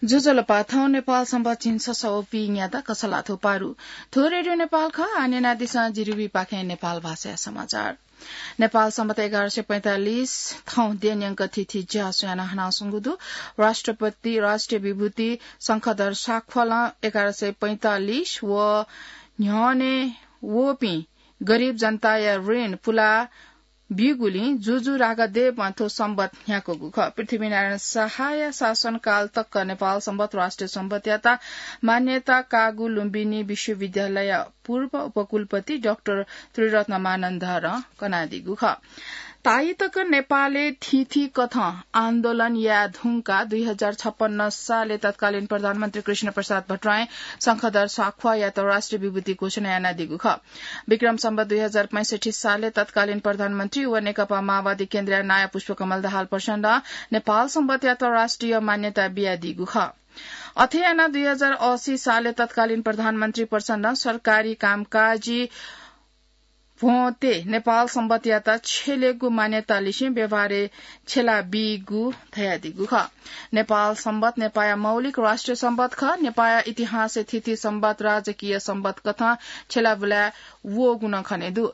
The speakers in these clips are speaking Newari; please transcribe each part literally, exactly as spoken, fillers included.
ज्वजलपा, थौं नेपाल संवत् झिंछसः व पीन्यादँ कछलाथ्व पारु। थ्व रेडियो नेपाल खः, आः न्यनादिसँ जिरिविपाखें नेपाल भाषाया समाचार। नेपाल संवत् एघार सय पैंतालिस थौं देय्‌न्यंक थीथी ज्या स्वयाना हनाच्वंगु दु। राष्ट्रपति राष्ट्रिय विभूति शंखधर साख्वालं एघार सय पैंतालिस व न्ह्यःने वःपिं गरीब जनताया ऋण पुला ब्यूगुलिं जुजु राघदेवं थ्व संवत् न्ह्याकूगु खः। पृथ्वीनारायण शाहया शासनकाल तक नेपाल संवत् राष्ट्रिय संवत्‌यात मान्यता काःगु लुम्बिनी विश्वविद्यालयया पूर्व उपकुलपति डाक्टर त्रिरत्न मानन्धरं कनादीगु खः। ताःई तक नेपालय् थीथी कथं आन्दोलन याये धुंकाः दुई हजार छप्पन्न सालय् तत्कालीन प्रधानमन्त्री कृष्ण प्रसाद भट्टराईं शंखधर साख्वायात राष्ट्रिय विभूति घोषणा यानादीगु खः। विक्रम संवत् दुई हजार पैंसठ्ठी सालय् तत्कालीन प्रधानमन्त्री व नेकपा माओवादी केन्द्रया नायः पुष्पकमल दाहाल प्रचण्डं नेपाल संवत्‌यात राष्ट्रिय मान्यता बियादीगु खः। अथे यानाः दुई हजार असी सालय् तत्कालीन प्रधानमन्त्री प्रचण्डं सरकारी कामकाजी भ्वंतय् नेपाल संवत्‌यात छ्यलेगु मान्यता लिसें व्यवहारय् छ्यला बीगु धयादीगु खः। नेपाल संवत् नेपाःया मौलिक राष्ट्रिय संवत् खः। नेपाःया इतिहासय् थीथी संवत् राजकीय संवत् कथं छ्यला बुलाय् वःगु नं खने दु।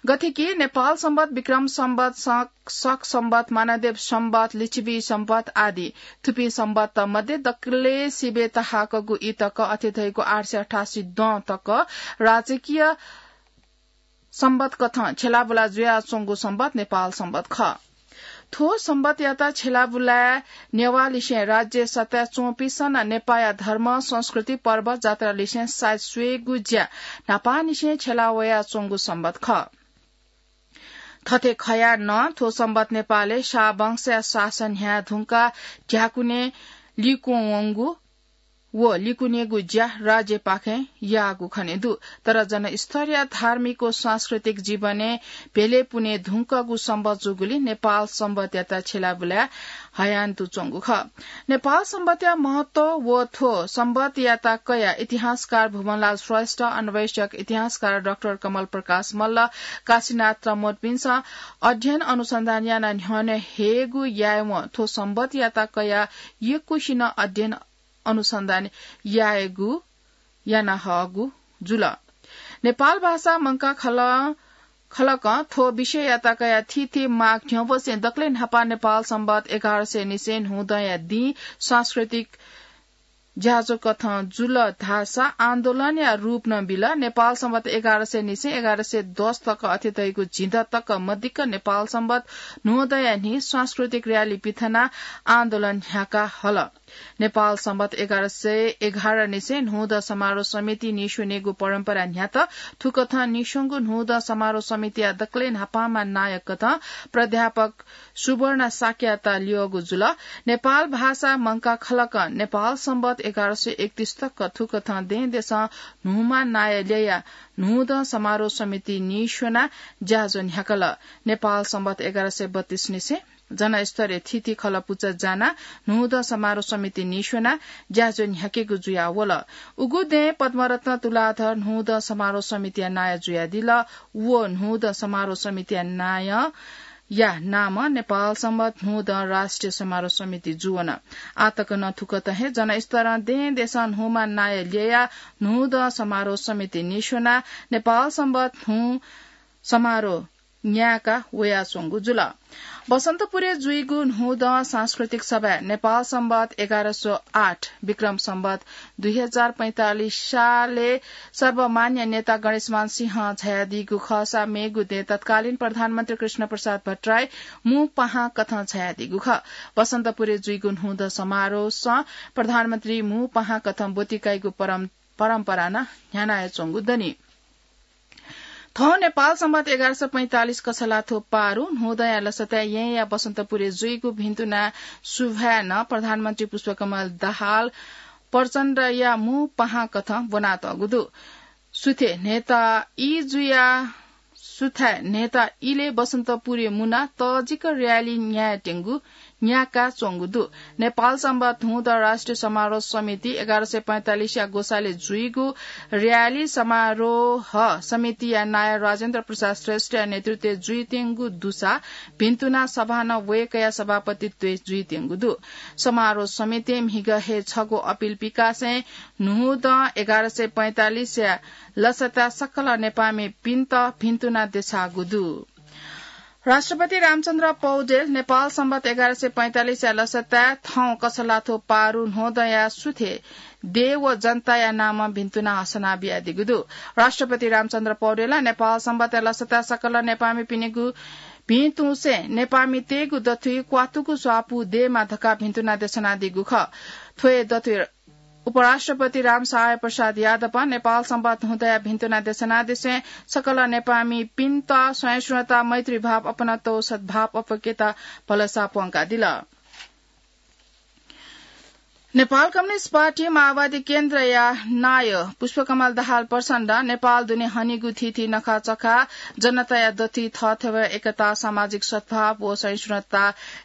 गथे कि नेपाल संवत्, विक्रम संवत्, शक, शक संवत्, मानदेव संवत्, लिच्छवि संवत् आदि। थुपिं संवत् मध्ये दकलय् सिबें तःहाकःगु ई तक अथे धइगु आठ सय अठासी दँ तक राजकीय संवत् कथं छ्यलाबुला जुयाच्वंगु संवत् नेपाल संवत् खः। थ्व संवत्‌यात छ्यलाबुलाय् नेवाःलिसें राज्य सत्ताय् च्वंपिन्सं नं नेपाःया धर्म, संस्कृति, पर्व, जात्रा लिसें साइत स्वयेगु ज्या न्हापांनिसें छ्यला वयाच्वंगु संवत् खः। थथे खयाः नं थ्व संवत् नेपालय् शाह वंशया शासन न्ह्याये धुंकाः ध्याकुने लिक्वं वंगु व लिकुनेगु ज्या राज्यपाखें याःगु खने दु। तर जनस्तरया धार्मिक व सांस्कृतिक जीवनय् भेले पुने धुंकःगु संवत् जूगुलिं नेपाल संवत्‌यात छ्यलाबुलाय् हयान्तुच्वंगु खः। नेपाल संवत्‌या महत्व व थ्व संवत्‌यात कयाः इतिहासकार भुवनलाल श्रेष्ठ, अन्वेषक इतिहासकार डाक्टर कमल प्रकाश मल्ल, काशीनाथ तमोटपिन्सं अध्ययन अनुसन्धान यानाः न्ह्यःने हयेगु यायेवं थ्व संवत्‌यात कयाः यक्वसिनं अध्ययन अनुसन्धान यायेगु याना हःगु जुल। नेपाल भाषा मंकाः खल-, खलकं थ्व विषययात कयाः थीथी माग न्ह्यवसें दकलय् न्हापां नेपाल संवत् एघार सय निसें न्हूदँया दिं सांस्कृतिक ज्याझ्वः कथं जुल धाःसा आन्दोलनया रूप नं बिल। नेपाल संवत् एघार सय निसें एघार सय दस तक अथे धइगु झिंदँ तक मदिक्क नेपाल संवत् न्हूदँया न्हि सांस्कृतिक र्‍याली पिथनाः आन्दोलन न्ह्याका हल। नेपाल संवत् एघार सय एघार निसें न्हूदँ समारोह समिति नीस्वनेगु परम्परा न्ह्यात। थुकथं नीस्वंगु न्हूदँ समारोह समितिया दकलय् न्हापांम्ह नायक कथं प्राध्यापक सुवर्ण शाक्ययात ल्यःगु जुल। नेपाल भाषा मंकाः खलकं नेपाल संवत् एघार सय एकतीस तक थुकथं दँय्‌देशं न्हूम्ह नायः ल्ययाः न्हूदँ समारोह समिति नीस्वनाः ज्याझ्वः न्ह्याकल। नेपाल संवत् एघार सय बत्तीस निसें जनस्तरय् थीथी खलः पुचः जानाः न्हूदँ समारोह समिति नीस्वनाः ज्याझ्वः न्ह्याकेगु जुयावल। उगु दँय् पद्मरत्न तुलाधर न्हूदँ समारोह समितिया नायः जुयादिल। व न्हूदँ समारोह समितिया नायःया नामं नेपाल संवत् न्हूदँ राष्ट्रिय समारोह समिति जुवन। आःतक नं थुकथं हे जनस्तरं दँय्‌देशं न्हूम्ह नायः ल्ययाः न्हूदँ समारोह समिति नीस्वनाः नेपाल संवत् न्हू समारोह न्यायेका वयाच्वंगु जुल। बसन्तपुरय् जुइगु न्हूदँ सांस्कृतिक सभाय् नेपाल संवत् एघार सय आठ विक्रम संवत् दुई हजार पैंतालिस सालय् सर्वमान्य नेता गणेशमान सिंहं झायादीगु खःसा मेगु दँय् तत्कालीन प्रधानमन्त्री कृष्ण प्रसाद भट्टराई मू पाहां कथं झायादीगु खः। बसन्तपुरय् जुइगु न्हूदँ समारोहसं प्रधानमन्त्री मू पाहां कथं ब्वति काइगु परम-, परम्परा नं न्ह्यानाच्वंगु दनि। थौं नेपाल संवत् एघार सय पैंतालिस कछलाथ्व पारु न्हूदँया लसताय् येँया बसन्तपुरय् जुइगु भिन्तुना सुभाय् नं प्रधानमन्त्री पुष्पकमल दाहाल प्रचण्डया मू पाहां कथं ब्वनातःगु दु। सुथय् न्हय्‌ता ई जुया, सुथय् न्हय्‌ता इलय् बसन्तपुरय् मुनाः तःजिक र्‍याली न्यायेत्यंगु न्याका च्वंगु दु। नेपाल संवत न्हूदँ राष्ट्रिय समारोह समिति एघार सय पैंतालिसया ग्वसालय् जुइगु र्‍याली समारोह समितिया नायः राजेन्द्र प्रसाद श्रेष्ठया नेतृत्वय् जुइत्यंगु दुसा भिन्तुना सभा नं वय्‌कःया सभापतित्वय् जुइत्यंगु दु। समारोह समितिं म्हिगः हे छगू अपिल पिकासें न्हूदँ एघार सय पैंतालिसया लसताय् सकल नेपाःमिपिन्त भिन्तुना देछाःगु दु। राष्ट्रपति रामचन्द्र पौडेल नेपाल संवत एघार सय पैंतालिसया लसताय् थौं कछलाथ्व पारु न्हूदँया सुथे देय् व जनताया नामं भिन्तुना हसना बियादीगु दु। राष्ट्रपति रामचन्द्र पौडेलं नेपाल संवतया लसताय् सकल नेपाःमिपिनिगु भिंतुसें नेपाःमितय्‌गु दथुइ क्वातुगु स्वापू दयेमा धकाः भिन्तुना देछानादीगु खः। थ्व हे दथुइ उपराष्ट्रपति रामसहाय प्रसाद यादवं नेपाल संवत न्हूदँया भिन्तुना देछानादिसें सकल नेपाःमिपिन्त सहिष्णुता, मैत्रीभाव, अपनत्व, सद्भाव, अप्वय्‌केता भलसा प्वंकादिल। नेपाल कम्युनिस्ट पार्टी माओवादी केन्द्रया नायः पुष्पकमल दाहाल प्रचण्डं नेपाल दुने हनीगु थीथी नखाचखा जनताया दथुइ थःथवय् एकता, सामाजिक सद्भाव व सहिष्णुता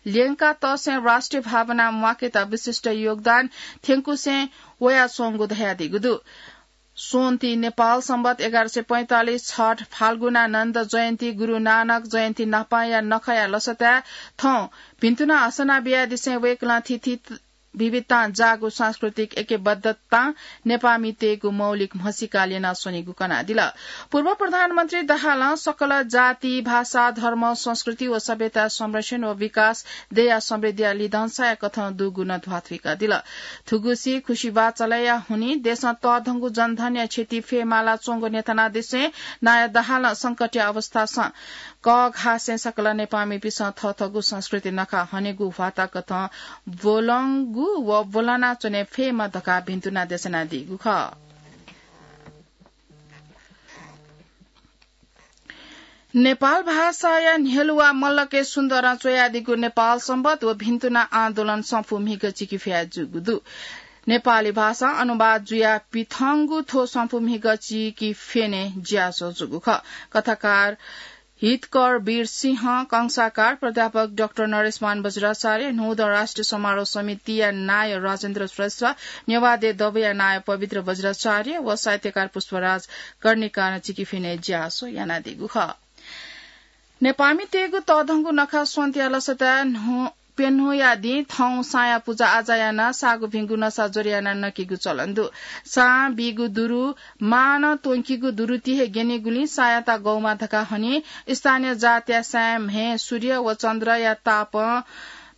ल्यंकातःसें राष्ट्रिय भावना म्वाकेत विशिष्ट योगदान थ्यंकुसें वयाच्वंगु धयादीगु दु। स्वन्ति नेपाल संवत एघार सय पैंतालिस छठ, फाल्गुनानन्द जयन्ती, गुरु नानक जयन्ती न्हापांया नखःया लसताय् थौं भिन्तुना हसना बियादिसें वय्‌कलं थीथी विविधतां जाःगु सांस्कृतिक ऐक्यबद्धतां नेपाःमितय्‌गु मौलिक म्हसीका ल्यनाः स्वनीगु कनादिल। पूर्व प्रधानमन्त्री दाहालं सकल जाति, भाषा, धर्म, संस्कृति व सभ्यता संरक्षण व विकास दया समृद्धिया लिधंसाया कथं दुगु नं ध्वाथुइकादिल। थुगुसी खुसिबाचलया हुनिं देशं तःधंगु जनधनया क्षति फयेमाला च्वंगु न्ह्यथनादिसें नायः दाहालं संकटया अवस्थासं कःघासें सकल नेपाःमिपिसं थःथःगु संस्कृति नखः हनेगु ह्वाताकथं ब्वलंगु व ब्वलनाच्वने फयेमा धकाः भिन्तुना देछानादीगु खः। नेपाल भाषाया न्ह्यलुवा मल्लके सुन्दरं च्वयादीगु नेपाल संवत व भिन्तुना आन्दोलन संफू म्हिगः चिकिफया जूगु दु। नेपाली भाषां अनुवाद जुया पिथंगु थ्व संफू म्हिगः चिकिफेने ज्यासो जूगु खः। कथाकार हितकर वीर सिंह, कंसाकार प्राध्यापक डाक्टर नरेशमान बज्राचार्य, न्हूदँ राष्ट्रिय समारोह समितिया नायः राजेन्द्र श्रेष्ठ, नेवाः देय् दबूया नायः पवित्र बज्राचार्य व साहित्यकार पुष्पराज कर्णिकारं चिकिफेने ज्यासो यानादीगु खः। नेपाःमितय्‌गु तःधंगु नखः स्वन्तिया लसताय् न्हु-, प्यन्हुया दिं थौं साँया पुजा आजा यानाः सागु भिंगु नसा ज्वरे यानाः नकेगु चलन दु। सां बीगु दुरु मां नं त्वंकीगु दुरु ति हे ग्यनीगुलिं साँयात गौमा धकाः हनी। स्थानीय जातया साँया म्हे सूर्य व चन्द्रया तापं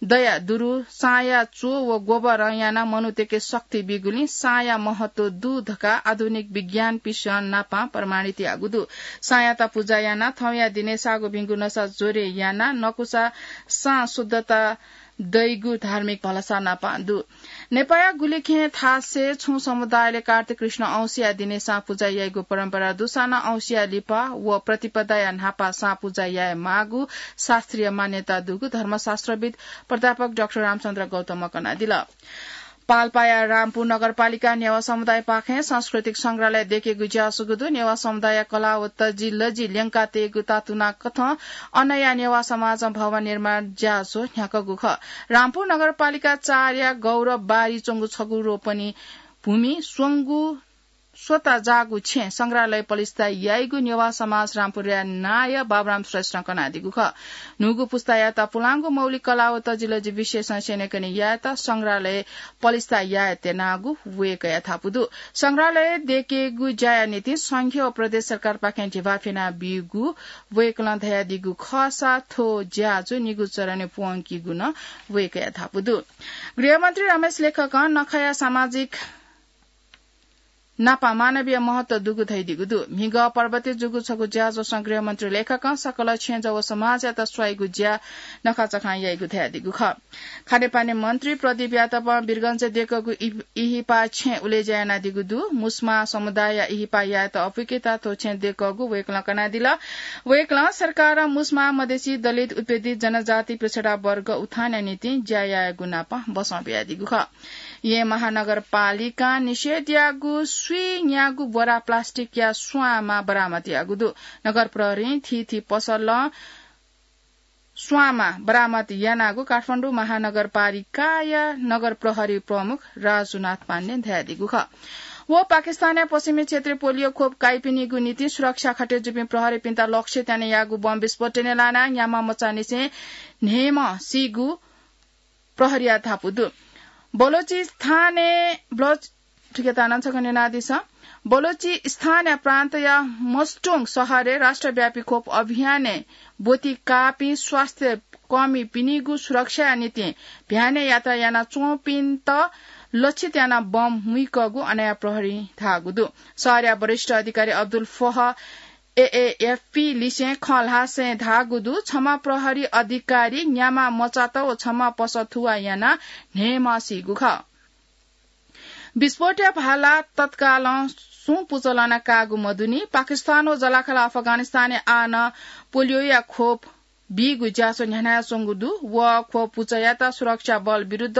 दया दुरु साँया च्वः व गोबरं यानाः मनूतय्‌के शक्ति बीगुलिं साँया महत्व दु धकाः आधुनिक विज्ञानपिसं नापां प्रमाणित याःगु दु। साँयात पुजा यानाः थौंया दिने सागु भिंगु नसा ज्वरे यानाः नकूसा सां शुद्धता दइगु धार्मिक भलसा नापां दु। नेपाःया गुलिखें थासय् छुं समुदायले कार्तिक कृष्ण औँसीया दिने सां पुजा याइगु परम्परा दुसां नं औँसीया लिपा व प्रतिपदाया न्हापा सां पुजा याये माःगु शास्त्रीय मान्यता दुगु धर्मशास्त्रविद् प्राध्यापक डाक्टर रामचन्द्र गौतमं कनादिल। पाल्पाया रामपुर नगरपालिकां नेवाः समुदायपाखें सांस्कृतिक संग्रहालय दयेकेगु ज्यासो जूगु दु। नेवाः समुदायया कला व तजिलजि ल्यंकातयेगु तातुना कथं अनया नेवाः समाजं भवन निर्माण ज्यासो न्ह्याकूगु खः। रामपुर नगरपालिका चारया गौरव बारी च्वंगु छगू रोपनी भूमि स्वंगू स्वता जाःगु छेँ संग्रहालय पलिस्था याइगु नेवाः समाज रामपुरया नायः बाबुराम श्रेष्ठं कनादीगु खः। न्हूगु पुस्तायात पुलांगु मौलिक कला व तजिलजि विषयसं स्यनेकने यायेत संग्रहालय पलिस्था याये त्यनागु वय्‌कःया धापू दु। संग्रहालय दयेकेगु ज्याया निंतिं संघीय व प्रदेश सरकारपाखें धिबा फ्यनाबीगु वय्‌कलं धयादीगु खःसा थ्व ज्याझ्वः निगू चरणय् प्वंकीगु नं वय्‌कःया धापू दु। गृहमन्त्री रमेश लेखकं नखःया सामाजिक नापं मानवीय महत्व दुगु धयादीगु दु। म्हिगः पर्वतय् जूगु छगू ज्याझ्वलं गृहमन्त्री लेखकं सकल छेँजः व समाजयात स्वाइगु ज्या नखःचखं याइगु धयादीगु खः। खानेपानी मन्त्री प्रदीप यादवं वीरगञ्जय् दयेकूगु इ-, इहिपा छेँ उलेज्या यानादीगु दु। मुस्मा समुदायया इहिपा यायेत अप्वय्‌केत थ्व छेँ दयेकूगु वय्‌कलं कनादिल। वय्‌कलं सरकारं मुस्मा, मधेसी, दलित, उत्पीडित जनजाति, पिछडा वर्ग उत्थानया निंतिं ज्या यायेगु नापं बसं बियादीगु खः। येँ महानगरपालिकां निषेध याःगु स्वीन्यागू बोरा प्लास्टिकया स्वांमा बरामद याःगु दु। नगर प्रहरीं थीथी पसलं स्वांमा बरामद यानागु काठमाडौं महानगरपालिकाया नगर प्रहरी प्रमुख राजुनाथ पाण्डें धयादीगु खः। व पाकिस्तानया पश्चिमी क्षेत्रय् पोलियो खोप काइपिनिगु निंतिं सुरक्षा खटे जूपिं प्रहरीपिन्त लक्षित यानाः याःगु बम विस्फोटनय् लानाः न्याम्ह मचांनिसें न्हय्म्ह सीगु प्रहरीया धापू दु। बलोचिस्तानय् ब्लज ठिकेतानं छकः न्यनादिसँ। बलोचिस्तानया प्रान्तया मस्टोङ शहरय् राष्ट्रव्यापी खोप अभियानय् ब्वति काःपिं स्वास्थ्य कर्मीपिनिगु सुरक्षाया निंतिं भ्यानय् यात्रा यानाच्वंपिन्त लक्षित यानाः बम मुइकःगु अनया प्रहरीं धाःगु दु। शहरया वरिष्ठ अधिकारी अब्दुल फह एएएफपी लिसें खँ ल्हासें धाःगु दु। छम्ह प्रहरी अधिकारी न्याम्ह मचात व छम्ह पसः थुवाः यानाः न्हय्म्ह सीगु खः। विस्फोटया भाला तत्कालं सुं पुचः लना काःगु मदुनि। पाकिस्तान व जःलाखःला अफगानिस्तानय् आः नं पोलियोया खोप बीगु ज्याझ्वः न्ह्यानाच्वंगु दु। व खोप पुचःयात सुरक्षा बल विरुद्ध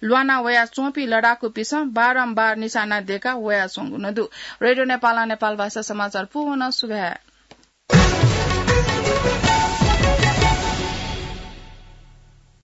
ल्वाना वयाच्वंपिं लडाकुपिन्सं बारम्बार निशाना दय्का वयाच्वंगु नं दु। रेडियो नेपालं नेपाल भाषा समाचार पूवं सुभाय्।